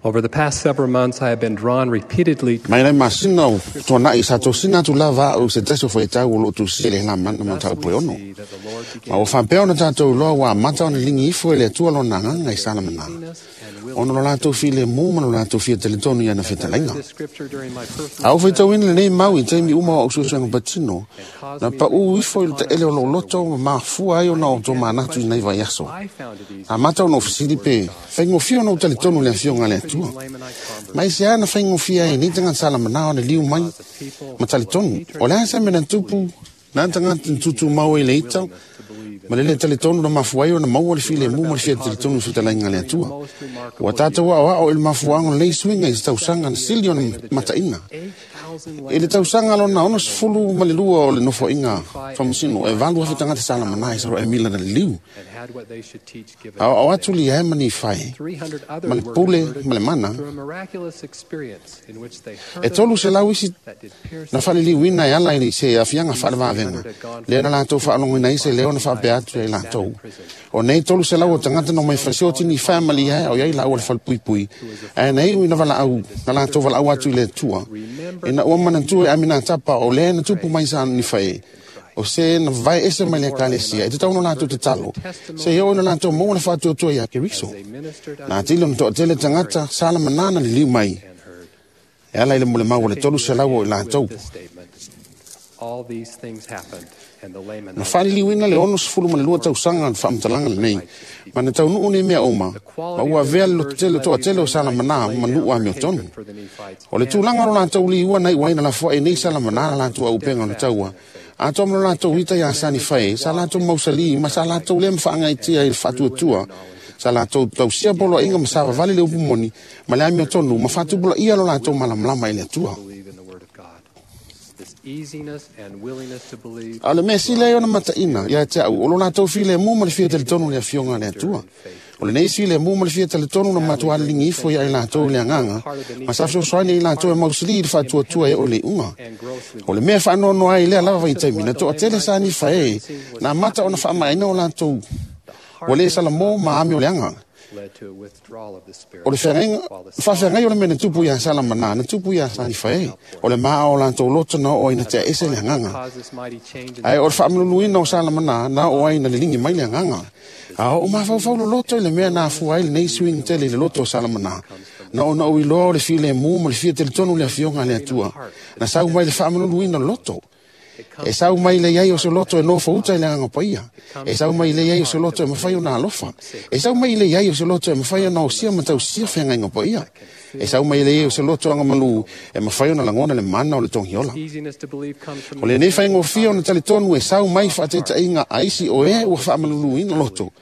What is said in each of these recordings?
Over the past several months, I have been drawn repeatedly Mai le masina o tuanai sa tosina atu lava a'u se tasi o fuaitau o loo tusia i le Helamana mataupu e 6. that the Lord Ma ua faapea ona tatou iloa ua amata ona ligi ifo e le Atua lona agaga i Salamana, ona o lo latou filemu ma lo latou fia talitonu i ana fetalaiga. this scripture during my personal A ou faitauina lenei mau i taimi uma o a'u suesuega patino, na pa'ū ifo i le taele o lou loto ma mafua ai ona o tomanatu i nai vaiaso. I found it easy Amata ona ou fesili pe faigofie ona ou talitonu i le afioga a le Atua. Lamanite converts Ma i se ana faigofie ai nei tagata Salamana ona liu mai ma talitonu. O le a se mea na tupu na tagata na tutumau ai le ita ma le lē talitonu na mafua ai ona maua le filemu ma le fia talitonu i fetalaiga a le Atua. Ua tatou aoao i le mafuaaga o lenei suiga i se tausaga na sili ona mataina. 8,000 I le tausaga lona 62 o le nofoaiga faamasino, e 8,000 tagata Salamana i saloe mila na liliu. and had what they should teach given. Aoao atu lia e ma Nifae, 300 ma others le were pule converted ma le mana. through a miraculous experience in which they heard E a 300 isi that did pierce na faaliliuina e ala i se afiaga faalevavega, lea na latou faalogoina ai se leo na faapea atu ai latou. O nei 300 o tagata na omai falesioti Nifae ma Liae o iai laua le falepuipui, ae na iu ina valaau, na latou valaau atu i le Atua. Ina ua manatua e Aminatapa o lea na tupu mai sa Nifae, o se na vae ese mai le ekalesia, e tatau ona latou tatalo, se oo ina latou maua le faatuatua ia Keriso. they ministered Na atili ona toatele tagata Salamana na liliu mai, and heard. e ala i le molemau o le 300 o i latou. This statement, all these things happened, and the Na Lamanites faaliliuina le 62 tausaga le faamatalaga lenei, ma na taunuu nei mea uma, ma ua avea le lototele toatele o Salamana ma nuu amiotonu. for the Nephites O le tulaga o lo latou liua na iu ai na lafoai nei Salamana na latou auupega o le taua. Atoa ma lo latou ita iā sa Nifae, sa latou mausalī ma sa latou lē mafaagaitia i le faatuatua. Sa latou tausia poloaiga ma savavali le upu moni ma le amiotonu ma faatupulaia lo latou malamalama i le Atua. believe in the Word of God. This easiness and willingness to believe A o le mea sili ai ona mataina ia te a'u o lo latou filemu ma le fia talitonu i le afioga a le Atua. O lenei filemu ma le fia talitonu na matuā liligi ifo ia i latou i le agaga, ma sa fesoasoani ai latou e mausilī i le faatuatua e oo i le iuga. and grossly O le mea faanoanoa ai i lea lava vaitaimi, na toatele sa Nifae na amata ona faamaeaina o latou ua lē salamō ma ame o le aga. led to a withdrawal of the Spirit. O le feagaiga, faafeagai o le mea na tupu iā Salamana, na tupu iā sa Nifae. O le maa o latou loto na oo ai na tea ese le agaga. Caused this mighty change in Ae o le faamaluluina o Salamana na oo ai na liligi mai le agaga. A oo mafaufau loloto i le mea na afua ai lenei suiga tele i le loto o Salamana. Na ona ou iloa o le filemu ma le fia talitonu i le afioga a le Atua. Na sau mai le faamaluluina o le loto. E sau mai le iai o se loto e nofo uta i le agaga paia. E sau mai le iai o se loto e mafai ona alofa. E sau mai le iai o se loto e mafai ona osia ma tausia feagaiga paia. E sau mai le iai o se loto agamalū e mafai ona lagona le mana o le togiola. easiness to believe comes from O lenei faigofie ona talitonu e sau mai faataitaiga a isi o e ua faamaluluina loto.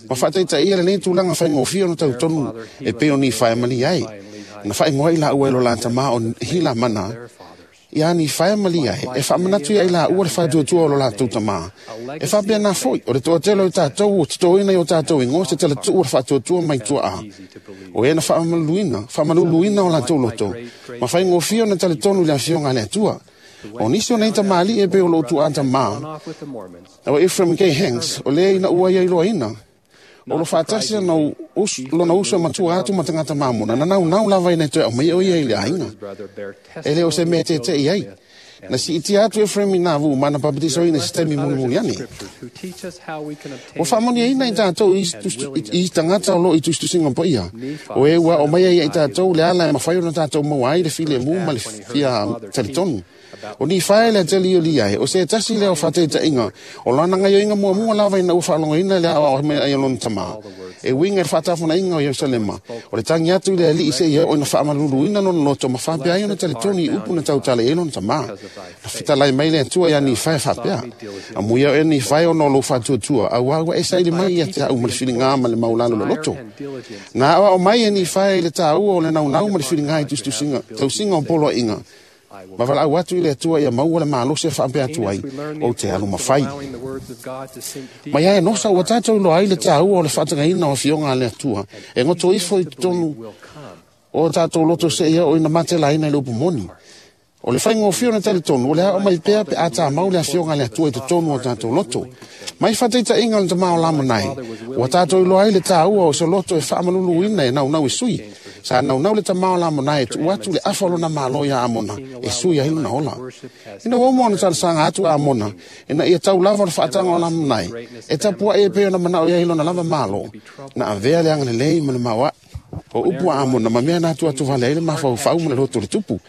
Ma faataitaia lenei tulaga faigofie ona tautonu e pei o Nifae ma Liae. Na faaigoa i laua e lo la tamā o Hilamana, their fathers. ia Nifae ma Liae, e faamanatu ia i laua le faatuatua o lo latou tamā. E faapea na foi, o le toatele o i tatou ua totoina i o tatou igoa se talatuu o le faatuatua mai tuaa. Easy to believe. O e na faamaluluina o latou loto, ma faigofie ona talitonu i le afioga a le Atua. O nisi o nei tamalii e pei o lou tuaa tamā, Gone off with the Mormons. o Ephraim K. Hanks, o lea ina ua ia iloaina, o lo faatasi ana lona uso e matua atu ma tagata mamona, na naunau lava ina e toe aumai o ia i le aiga. His brother bear E le o se mea testimony tete'i ai. Na siitia atu Ephraim i nā vu ma na papatisoina se taimi mulimuli ane. Scriptures who teach us how we can obtain Ua faamoniaina i tatou i tagata o loo i tusitusiga paia. O e ua o mai ai i tatou le ala e mafai ona tatou maua ai le filemu ma le fia talitonu. O Nifae le ateli o Liae, o se tasi lea o faataitaiga, o lana gaioiga muamua lava ina ua faalogoina le aoao mai ai o lona tamā. E uiga i le faatafonaiga o Ierusalema, o le tagi atu i le alii seia oo ina faamaluluina lona loto ma faapea ai ona talitonu i upu na tautala i ai lona tamā. Na fetalai mai le Atua ia Nifae faapea, amuia oe Nifae ona o lou faatuatua, auā ua e saili mai ia te a'u ma le filigā ma le maulalo loloto. and diligence Na aoao mai e Nifae i le tāua o le naunau ma le filigā i tusitusiga, tausiga o poloaiga. Ma valaau atu i le Atua ia maua le malosi e faapea atu ai, we learn the ou te alu importance of mafai. allowing the words of God to sink deep Ma ia e nosa ua tatou iloa ai le tāua o le faatagaina o afioga a le Atua, e goto ifo i totonu will come. o tatou loto seia o ina matelaina i le upu moni. O le faigofie ona talitonu, o le ao mai pea pe a tamau le afioga i le Atua i totonu o tatou loto. Mai faataitaiga o le tama o Lamanai, ua tatou iloa ai le taua o se loto e faamaluluina e naunau e sui. Sa naunau le tama o Lamanai e tuu atu le afa o lona malo ia Amona e sui ai lona ola. Ina ua uma ona talosaga atu a Amona, ina ia tau lava o le faataga o Lamanai, e tapuai e pei ona manao i ai lona lava malo, na avea le agalelei ma le maoae. O upu a Amona ma mea na atu atu vale ai le mafaufau ma le loto o le tupu.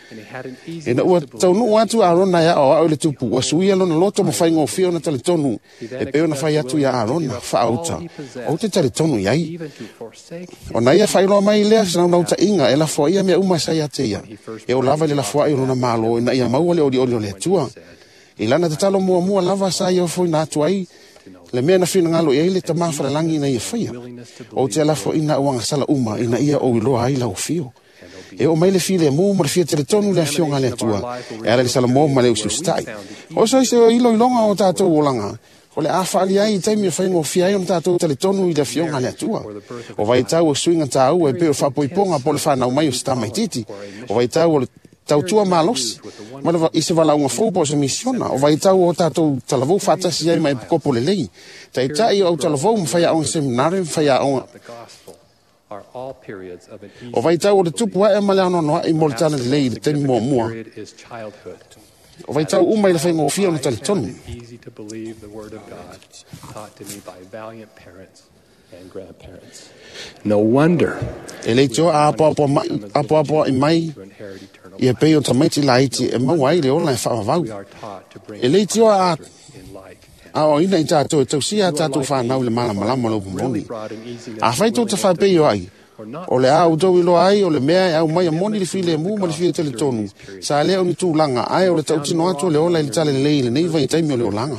Ina ua taunuu atu Arona e aoao i le tupu, ua suia lona loto ma faigofie ona talitonu, e pei ona fai atu ia Arona, faaauta, ou te talitonu i ai. Ona ia faailoa mai lea se naunautaiga e lafoaia mea uma sa ia te ia. E o lava i le lafoai o lona malo ina ia maua le olioli o le Atua. I lana tatalo muamua lava sa ia ofoina atu ai le mea na finagalo i ai le tama falalagi ina ia faia. Ou te lafoaina au agasala uma ina ia ou iloa ai lau afio. E oo mai le filemu ma le fia talitonu le afioga a le Atua, e ala i le Salamo ma le usiusitai. O se iloiloga o tatou olaga, o le a faali ai i taimi e faigofie ai ona tatou talitonu i le afioga a le Atua. O vaitau o suiga taua e pei o le faapoipoga po o le fanau mai o se tamaitiiti. O vaitau o le tautua malosi, ma le i se valaauga fou po o se misiona. O vaitau o tatou talavou faatasi ai ma epikopo lelei. Taitai o au talavou ma faiaoga seminare ma faiaoga. O vaitau o le tupu ae ma le anoanoai mo le tala lelei i le taimi muamua. O vaitau uma i le faigofie ona talitonu. No wonder. E le tioa a apoapoai mai ia pei o tamaiti laiti e maua ai le ola e faavavau. E le tioa a aoaoina i tatou e tausia a tatou whanau le malamalama o le upu moni. A whai tō te whapei o ai, o le a outou iloa ai o le mea e au mai a moni le filemu ma le fia talitonu. Sa lea o ni tulaga, ae o le tautino atu o le ola i le tala lelei i lenei vaitaimi o le olaga.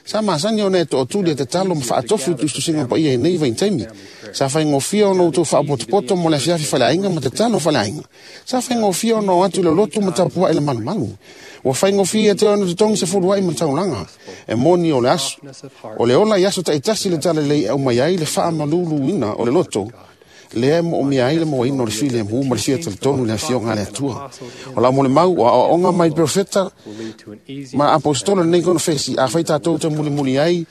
Sa masani ona e tootuli e tatalo ma faatofi o tusitusiga paia i nei vaitaimi. Sa faigofie ona outou faapotopoto mo le afiafi faleaiga ma tatalo faleaiga. Sa faigofie ona o atu i le lotu ma tapuai le malumalu. Ua faigofie te ona totogi se fuluai ma taulaga. E moni o le aso. O le ola i aso taitasi le tala lelei e aumai ai le faamaluluina o le loto. Lea e moomia ai le mauaina o le filemu ma le fia talitonu i le afioga a le Atua. O la mo le mau, o aoaoga mai profeta ma apostolo lenei konofesi, a fai tatou te mulimuli ai,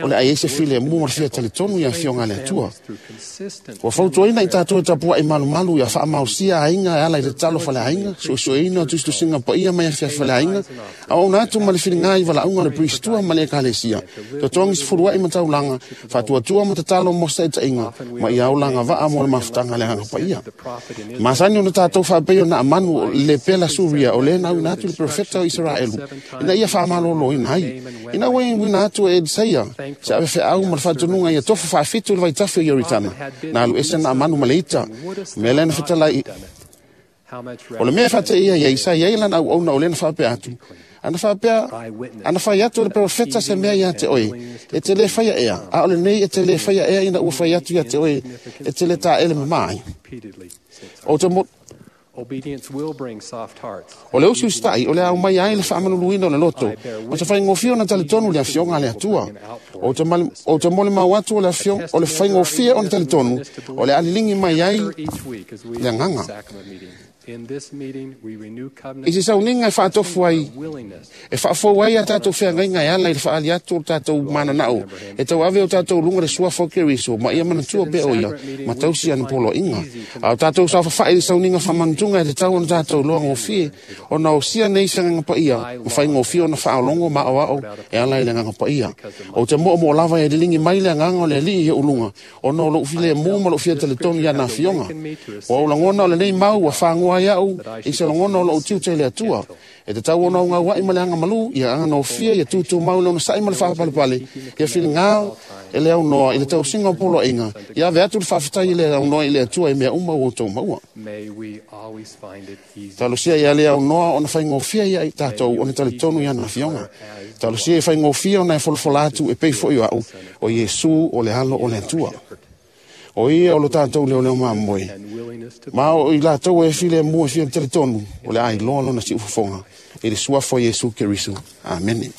o le ai ai se filemu ma le fia talitonu i afioga a le Atua. Ua fautuaina i tatou e tapuai malumalu ia faamausia aiga e ala i le tatalo faleaiga, suesueina o tusitusiga paia mai afiafi faleaiga, aoaona atu ma le filiga i valaauga o le Pristua ma le Ekalesia, totogi se fuluai ma taulaga, faatuatua ma tatalo mo se taitaiga, ma ia olaga vaa mo le mafutaga le agaga paia. Masani ona tatou faapei o Naamanu le pela Suria o le nauina atu le profeta o Iseraelu, ina ia faamaloloina ai. Ina ua iuina atu e Elisaia, se avefeau ma le faatonuga ia tofu faafitu le vaitafe o Ioritana, na alu ese Naamanu ma le ita, mea lea na fetalai. O le mea faateia ia sa i ai lana auauna o lea na faapea atu. Ana faapea, ana fai atu le profeta se mea ia te oe, e te le faia ea, a o lenei e te le faia ea ina ua fai atu ia te oe, e te le taele mama ai. O le usiusitai, o le au mai ai le faamaluluina o le loto, o te faigofie ona talitonu le afioga a le Atua. O te mole mau atu o le afioga, o le faigofie ona talitonu, o le aliligi mai ai le agaga. I se sauniga e faatofu ai, e faafou ai a tatou feagaiga e ala i le faali atu o le tatou mananao, e tauave o tatou luga le suafa o Keriso, ma ia manatua pea o ia, ma tausi ana poloaiga. A o tatou saofafai i le sauniga faamanatuga e tatau ona tatou iloa gofie, ona osia nei se agaga paia, ma faigofie ona faaologo ma aoao e ala i le agaga paia. Ou te moomoo lava e liligi mai le agaga o le Alii i ou luga, ona o lou filemu ma lou fia talitonu i ana afioga. O au lagona o lenei mau ua fagoa ai au i se lagona o lou tiute i le Atua. E tatau ona augauai ma le agamalu, ia aganofia, ia tutumau le onosai ma le faapalepale, ia filiga e le aunoa i le tausiga o poloaiga, ia ave atu le faafetai i le aunoa i le Atua i mea uma ua outou maua. Talosia ia le aunoa ona faigofie ia i tatou ona talitonu i ana afioga. Talosia ia faigofie ona e folafola atu e pei foi o au, o Iesu o le alo o le Atua. O ia o lo tatou leoleo mamoe. Ma o i latou e filemu e fia talitonu, o le a iloa lona siufofoga i le suafa o Iesu Keriso. Amene.